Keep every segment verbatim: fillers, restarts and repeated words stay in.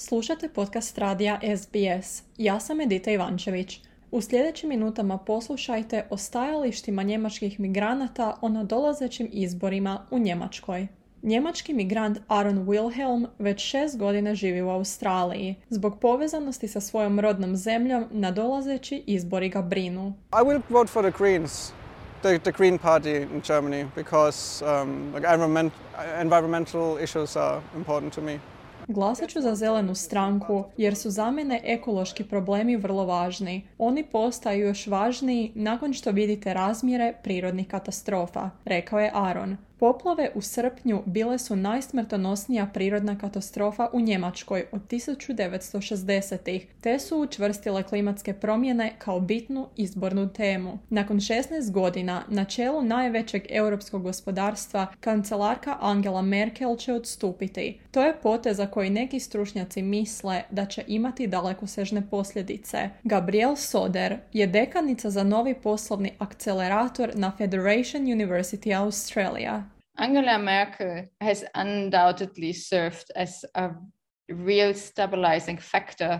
Slušate podcast radija S B S. Ja sam Edita Ivančević. U sljedećim minutama poslušajte o stajalištima njemačkih migranata o nadolazećim izborima u Njemačkoj. Njemački migrant Aaron Wilhelm već šest godina živi u Australiji. Zbog povezanosti sa svojom rodnom zemljom nadolazeći izbori ga brinu. I will vote for the Greens, the, the Green Party in Germany, because um, like environment, environmental issues are important to me. Glasat ću za zelenu stranku jer su za mene ekološki problemi vrlo važni. Oni postaju još važniji nakon što vidite razmjere prirodnih katastrofa, rekao je Aaron. Poplave u srpnju bile su najsmrtonosnija prirodna katastrofa u Njemačkoj od tisuću devetsto šezdesetih, te su učvrstile klimatske promjene kao bitnu izbornu temu. Nakon šesnaest godina na čelu najvećeg europskog gospodarstva kancelarka Angela Merkel će odstupiti. To je potez za koji neki stručnjaci misle da će imati dalekosežne posljedice. Gabrielle Soder je dekanica za novi poslovni akcelerator na Federation University Australia. Angela Merkel has undoubtedly served as a real stabilizing factor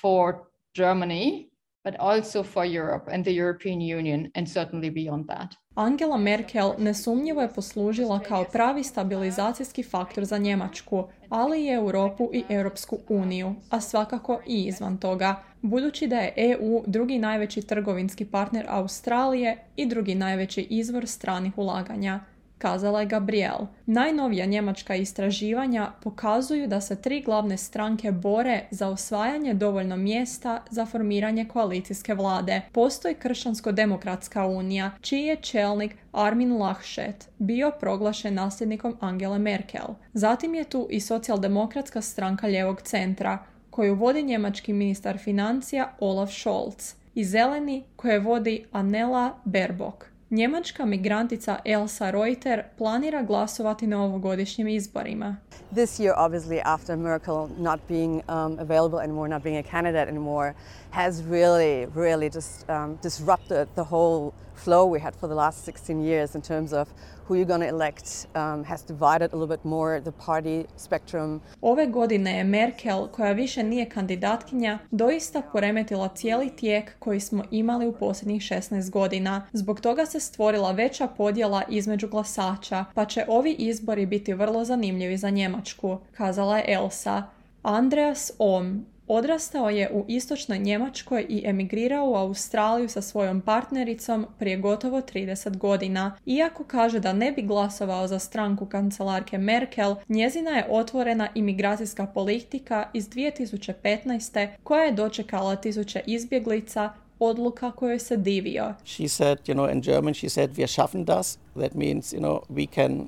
for Germany, but also for Europe and the European Union, and certainly beyond that. Angela Merkel nesumnjivo je poslužila kao pravi stabilizacijski faktor za Njemačku, ali i Europu i Europsku uniju, a svakako i izvan toga, budući da je E U drugi najveći trgovinski partner Australije i drugi najveći izvor stranih ulaganja, kazala je Gabrielle. Najnovija njemačka istraživanja pokazuju da se tri glavne stranke bore za osvajanje dovoljno mjesta za formiranje koalicijske vlade. Postoji Kršćansko-demokratska unija, čiji je čelnik Armin Laschet bio proglašen nasljednikom Angele Merkel. Zatim je tu i socijaldemokratska stranka lijevog centra, koju vodi njemački ministar financija Olaf Scholz, i zeleni koje vodi Annela Baerbock. Njemačka migrantica Elsa Reuter planira glasovati na ovogodišnjim izborima. This year, obviously, after Merkel not being um, available anymore, not being a candidate anymore, has really, really just um, disrupted the whole flow we had for the last sixteen years in terms of who you're going to elect, um, has divided a little bit more the party spectrum. Ove godine je Merkel, koja više nije kandidatkinja, doista poremetila cijeli tijek koji smo imali u posljednjih šesnaest godina. Zbog toga se stvorila veća podjela između glasača, pa će ovi izbori biti vrlo zanimljivi za Njemačku, kazala je Elsa. Andreas Ohm odrastao je u istočnoj Njemačkoj i emigrirao u Australiju sa svojom partnericom prije gotovo trideset godina. Iako kaže da ne bi glasovao za stranku kancelarke Merkel, njezina je otvorena imigracijska politika iz dvije tisuće petnaeste koja je dočekala tisuće izbjeglica, odluka kojoj se divio. She said, you know, in German she said, wir schaffen das. That means, you know, we can,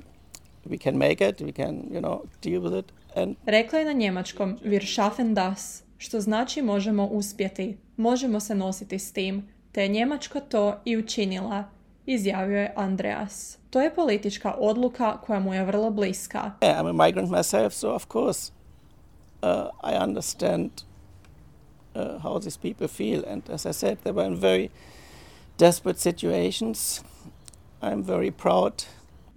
we can make it, we can, you know, deal with it. And rekla je na njemačkom wir schaffen das, što znači možemo uspjeti, možemo se nositi s tim, te je Njemačka to i učinila, izjavio je Andreas. To je politička odluka koja mu je vrlo bliska. yeah, I'm a migrant myself, so of course uh, I understand uh, how these people feel. And as I said, they were in very desperate situations. I'm very proud.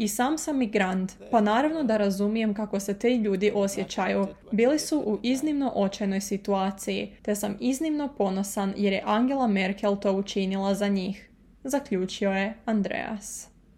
I sam sam migrant, pa naravno da razumijem kako se te ljudi osjećaju. Bili su u iznimno očajnoj situaciji, te sam iznimno ponosan jer je Angela Merkel to učinila za njih, zaključio je Andreas.